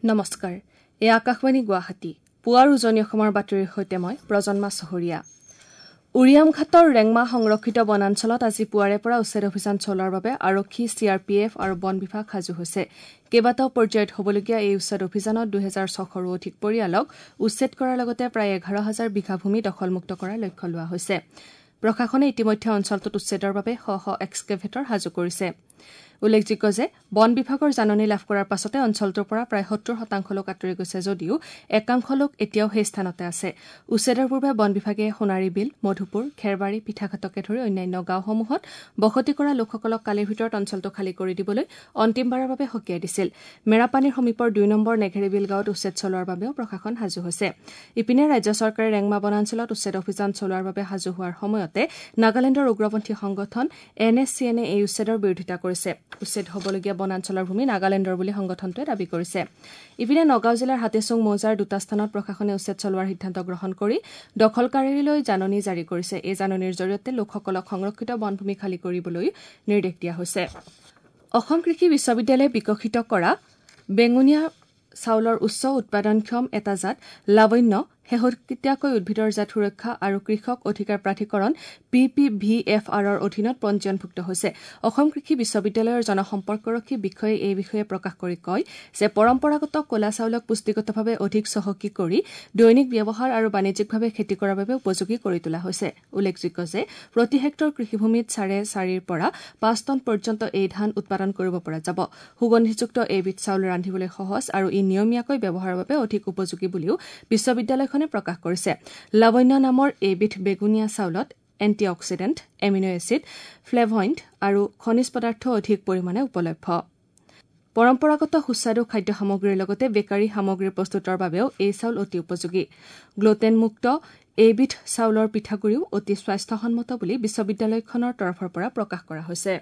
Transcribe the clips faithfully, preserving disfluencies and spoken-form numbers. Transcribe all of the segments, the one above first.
নমস্কাৰ, এয়া আকাশবাণী গুৱাহাটী। পুৱাৰ উজনি অসমৰ বাতৰিৰ সৈতে মই প্ৰজন্মা চহৰীয়া। উৰিয়ামঘাটৰ ৰেংমা সংৰক্ষিত বনাঞ্চলত আজি পুৱাৰে পৰা উচ্ছেদ অভিযান চলোৱাৰ বাবে আৰক্ষী, চি আৰ পি এফ আৰু বন বিভাগ সাজু হৈছে। কেইবাটাও পৰ্যায়ত হ'বলগীয়া এই উচ্ছেদ অভিযানত দুহেজাৰ ছশৰো অধিক পৰিয়ালক উচ্ছেদ কৰাৰ লগতে প্ৰায় এঘাৰ হাজাৰ বিঘা ভূমি দখলমুক্ত কৰাৰ লক্ষ্য লোৱা হৈছে। প্ৰশাসনে ইতিমধ্যে অঞ্চলটোত উচ্ছেদৰ বাবে শ শ এক্সকেভেটৰ সাজু কৰিছে। উল্লেখযোগ্য যে বন বিভাগৰ জাননী লাভ কৰাৰ পাছতে অঞ্চলটোৰ পৰা প্ৰায় সত্তৰ শতাংশ লোক আঁতৰি গৈছে যদিও একাংশ লোক এতিয়াও সেই স্থানতে আছে। উচ্ছেদৰ পূৰ্বে বন বিভাগে সোণাৰী বিল, মধুপুৰ, খেৰবাৰী, পিঠাঘাটকে ধৰি অন্যান্য গাঁওসমূহত বসতি কৰা লোকসকলক কালিৰ ভিতৰত অঞ্চলটো খালী কৰি দিবলৈ অন্তিমবাৰৰ বাবে সকীয়াই দিছিল। মেৰাপানীৰ সমীপৰ দুই নম্বৰ নেঘেৰীবিল গাঁৱত উচ্ছেদ চলোৱাৰ বাবেও প্ৰশাসন সাজু হৈছে। ইপিনে ৰাজ্য চৰকাৰে ৰেংমা বনাঞ্চলত উচ্ছেদ অভিযান চলোৱাৰ বাবে সাজু হোৱাৰ সময়তে নাগালেণ্ডৰ উগ্ৰপন্থী সংগঠন এন এছ চি এনে এই উচ্ছেদৰ বিৰোধিতা কৰিছে। উচ্ছেদ হ'বলগীয়া বনাঞ্চলৰ ভূমি নাগালেণ্ডৰ বুলি সংগঠনটোৱে দাবী কৰিছে। ইপিনে নগাঁও জিলাৰ হাতীচুং মৌজাৰ দুটা স্থানত প্ৰশাসনে উচ্ছেদ চলোৱাৰ সিদ্ধান্ত গ্ৰহণ কৰি দখলকাৰীলৈ জাননী জাৰি কৰিছে। এই জাননীৰ জৰিয়তে লোকসকলক সংৰক্ষিত বনভূমি খালী কৰিবলৈ নিৰ্দেশ দিয়া হৈছে। অসম কৃষি বিশ্ববিদ্যালয়ে বিকশিত কৰা বেঙুনীয়া চাউলৰ উচ্চ উৎপাদনক্ষম এটা জাত লাৱণ্য শেহতীয়াকৈ উদ্ভিদৰ জাত সুৰক্ষা আৰু কৃষক অধিকাৰ প্ৰাধিকৰণ পি পি ভি এফ আৰৰ অধীনত পঞ্জীয়নভুক্ত হৈছে। অসম কৃষি বিশ্ববিদ্যালয়ৰ জনসম্পৰ্কৰক্ষী বিষয়াই এই বিষয়ে প্ৰকাশ কৰি কয় যে পৰম্পৰাগত ক'লা চাউলক পুষ্টিগতভাৱে অধিক চহকী কৰি দৈনিক ব্যৱহাৰ আৰু বাণিজ্যিকভাৱে খেতি কৰাৰ বাবে উপযোগী কৰি তোলা হৈছে। উল্লেখযোগ্য যে প্ৰতি হেক্টৰ কৃষিভূমিত চাৰে চাৰিৰ পৰা পাঁচ টন পৰ্যন্ত এই ধান উৎপাদন কৰিব পৰা যাব। সুগন্ধিযুক্ত এইবিধ চাউল ৰান্ধিবলৈ সহজ আৰু ই নিয়মীয়াকৈ ব্যৱহাৰৰ বাবে অধিক উপযোগী বুলিও বিশ্ববিদ্যালয়খনে প্ৰকাশ কৰিছে। লাৱণ্য নামৰ এইবিধ বেগুনীয়া চাউলত এণ্টিঅক্সিডেণ্ট, এমিনো এচিড, ফ্লেভইণ্ড আৰু খনিজ পদাৰ্থ অধিক পৰিমাণে উপলভ্য। পৰম্পৰাগত সুস্বাদু খাদ্য সামগ্ৰীৰ লগতে বেকাৰী সামগ্ৰী প্ৰস্তুতৰ বাবেও এই চাউল অতি উপযোগী। গ্লুটেনমুক্ত এইবিধ চাউলৰ পিঠাগুৰিও অতি স্বাস্থ্যসন্মত বুলি বিশ্ববিদ্যালয়খনৰ তৰফৰ পৰা প্ৰকাশ কৰা হৈছে।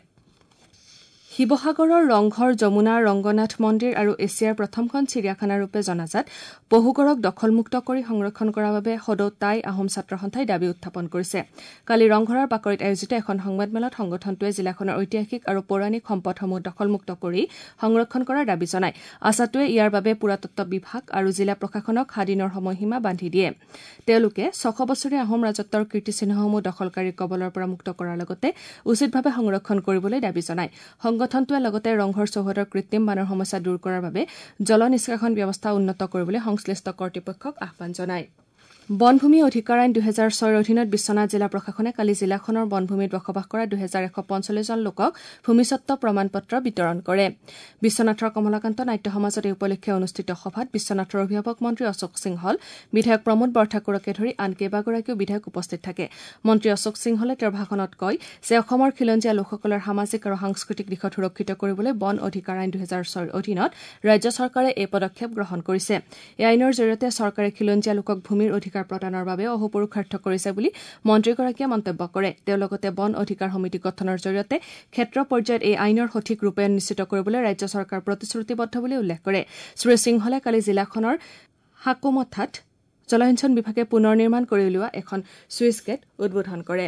শিৱসাগৰৰ ৰংঘৰ, যমুনা ৰংগনাথ মন্দিৰ আৰু এছিয়াৰ প্ৰথমখন চিৰিয়াখানাৰূপে জনাজাত পহুগড়ক দখলমুক্ত কৰি সংৰক্ষণ কৰাৰ বাবে সদৌ টাই আহোম ছাত্ৰ সন্থাই দাবী উত্থাপন কৰিছে। কালি ৰংঘৰৰ বাকৰিত আয়োজিত এখন সংবাদমেলত সংগঠনটোৱে জিলাখনৰ ঐতিহাসিক আৰু পৌৰাণিক সম্পদসমূহ দখলমুক্ত কৰি সংৰক্ষণ কৰাৰ দাবী জনায়। আছাটোৱে ইয়াৰ বাবে পুৰাতত্ব বিভাগ আৰু জিলা প্ৰশাসনক সাত দিনৰ সময়সীমা বান্ধি দিয়ে। তেওঁলোকে ছশ বছৰীয়া আহোম ৰাজত্বৰ কীৰ্তিচিহ্নসমূহ দখলকাৰীৰ কবলৰ পৰা মুক্ত কৰাৰ লগতে উচিতভাৱে সংৰক্ষণ কৰিবলৈ দাবী জনায়। সংগঠনটোৱে লগতে ৰংঘৰ চৌহদৰ কৃত্ৰিম বানৰ সমস্যা দূৰ কৰাৰ বাবে জল নিষ্কাশন ব্যৱস্থা উন্নত কৰিবলৈ সংশ্লিষ্ট কৰ্তৃপক্ষক আহ্বান জনায়। বনভূমি অধিকাৰ আইন দুহেজাৰ ছয়ৰ অধীনত বিশ্বনাথ জিলা প্ৰশাসনে কালি জিলাখনৰ বনভূমিত বসবাস কৰা দুহেজাৰ এশ পঞ্চল্লিছজন লোকক ভূমিস্বত্ব প্ৰমাণ পত্ৰ বিতৰণ কৰে। বিশ্বনাথৰ কমলাকান্ত নাট্য সমাজত এই উপলক্ষে অনুষ্ঠিত সভাত বিশ্বনাথৰ অভিভাৱক মন্ত্ৰী অশোক সিংহল, বিধায়ক প্ৰমোদ বৰঠাকুৰকে ধৰি আন কেইবাগৰাকীও বিধায়ক উপস্থিত থাকে। মন্ত্ৰী অশোক সিংহলে তেওঁৰ ভাষণত কয় যে অসমৰ খিলঞ্জীয়া লোকসকলৰ সামাজিক আৰু সাংস্কৃতিক দিশত সুৰক্ষিত কৰিবলৈ বন অধিকাৰ আইন দুহেজাৰ ছয়ৰ অধীনত ৰাজ্য চৰকাৰে এই পদক্ষেপ গ্ৰহণ কৰিছে। এই আইনৰ জৰিয়তে চৰকাৰে খিলঞ্জীয়া লোকক ভূমিৰ অধিকাৰ প্ৰদানৰ বাবে অহোপুৰুষাৰ্থ কৰিছে বুলি মন্ত্ৰীগৰাকীয়ে মন্তব্য কৰে। তেওঁ লগতে বন অধিকাৰ সমিতি গঠনৰ জৰিয়তে ক্ষেত্ৰ পৰ্যায়ত এই আইনৰ সঠিক ৰূপায়ণ নিশ্চিত কৰিবলৈ ৰাজ্য চৰকাৰ প্ৰতিশ্ৰুতিবদ্ধ বুলি উল্লেখ কৰে। শ্ৰী সিংহলে কালি জিলাখনৰ সাকোমঠাত জলসিঞ্চন বিভাগে পুনৰ নিৰ্মাণ কৰি উলিওৱা এখন ছুইচ গেট উদ্বোধন কৰে।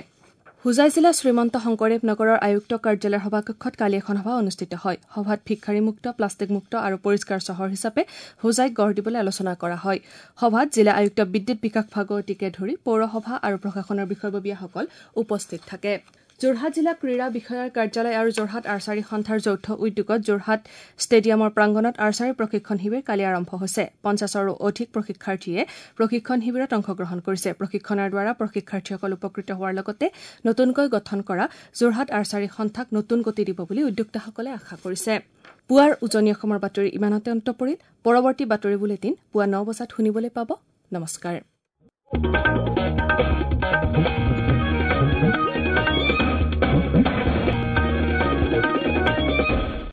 হোজাই জিলাৰ শ্ৰীমন্ত শংকৰদেৱ নগৰৰ আয়ুক্ত কাৰ্যালয়ৰ সভাকক্ষত কালি এখন সভা অনুষ্ঠিত হয়। সভাত ভিক্ষাৰীমুক্ত, প্লাষ্টিকমুক্ত আৰু পৰিষ্কাৰ চহৰ হিচাপে হোজাইক গঢ় দিবলৈ আলোচনা কৰা হয়। সভাত জিলা আয়ুক্ত বিদ্যুৎ বিকাশ ভাগৱতীকে ধৰি পৌৰসভা আৰু প্ৰশাসনৰ বিষয়ববীয়াসকল উপস্থিত থাকে। যোৰহাট জিলা ক্ৰীড়া বিষয়াৰ কাৰ্যালয় আৰু যোৰহাট আৰ্চাৰী সন্থাৰ যৌথ উদ্যোগত যোৰহাট ষ্টেডিয়ামৰ প্ৰাংগণত আৰ্চাৰী প্ৰশিক্ষণ শিবিৰ কালি আৰম্ভ হৈছে। পঞ্চাছৰো অধিক প্ৰশিক্ষাৰ্থীয়ে প্ৰশিক্ষণ শিবিৰত অংশগ্ৰহণ কৰিছে। প্ৰশিক্ষণৰ দ্বাৰা প্ৰশিক্ষাৰ্থীসকল উপকৃত হোৱাৰ লগতে নতুনকৈ গঠন কৰা যোৰহাট আৰ্চাৰী সন্থাক নতুন গতি দিব বুলি উদ্যোক্তাসকলে আশা কৰিছে। পুৱাৰ উজনি অসমৰ বাতৰি ইমানতে অন্ত পৰিল। পৰৱৰ্তী বাতৰি বুলেটিন পুৱা ন বজাত শুনিবলৈ পাব। নমস্কাৰ।